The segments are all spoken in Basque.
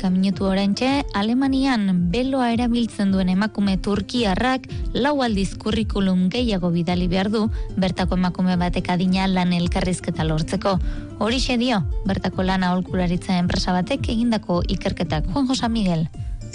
Minutu oraintxe, Alemanian beloa erabiltzen duen emakume turkiarrak 4 aldiz kurrikulum gehiago bidali behar du, bertako emakume batek adina lan elkarrizketa lortzeko. Horixe dio, bertako lan aholkularitza enpresa batek egindako ikerketak. Juan José Miguel.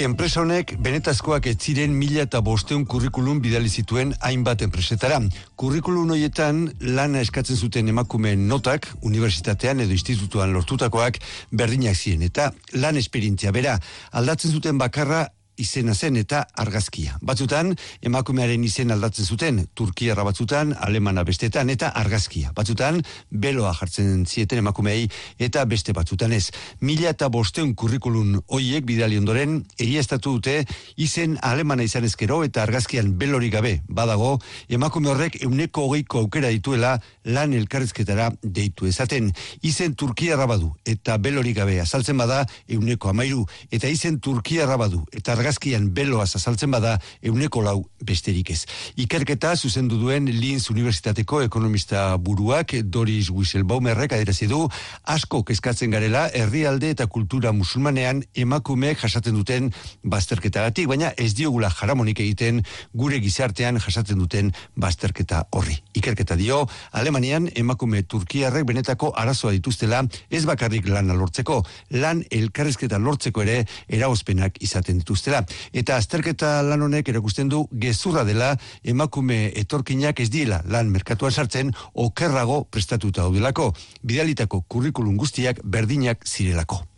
Enpresa honek benetazkoak ez ziren 1500 kurrikulum bidali zituen hainbat enpresetara. Kurrikulum horietan lana eskatzen zuten emakumeen notak, unibertsitatean edo institutuan lortutakoak berdinak ziren, eta lan esperientzia bera aldatzen zuten bakarra izena zen eta argazkia. Batzutan, emakumearen izen aldatzen zuten, turkiarra batzutan, alemana bestetan, eta argazkia. Batzutan, beloa jartzen zieten emakumeei, eta beste batzutan ez. 1500 kurrikulum hoiek bidali ondoren, egiaztatu dute, izen alemana izan ezkero, eta argazkian belori gabe badago, emakume horrek 120 aukera dituela lan elkarrizketara deitu ezaten. Izen turkiarra badu, eta belori gabe azaltzen bada, 13, eta izen turkiarra badu, eta argazkian beloaz azaltzen bada 4 besterik ez. Ikerketa zuzendu duen Linz Unibertsitateko ekonomista buruak Doris Wieselbaumerrek adierazi du asko kezkatzen garela herrialde eta kultura musulmanean emakumeek jasaten duten bazterketagatik, baina ez diogula jaramonik egiten gure gizartean jasaten duten bazterketa horri. Ikerketa dio, Alemanian emakume turkiarrek benetako arazoa dituztela ez bakarrik lana lortzeko, lan elkarrizketa lortzeko ere eragozpenak izaten dituztela. Eta azterketa lan honek erakusten du gezurra dela emakume etorkinak ez diela lan merkatuan sartzen okerrago prestatuta daudelako, bidalitako kurrikulum guztiak berdinak zirelako.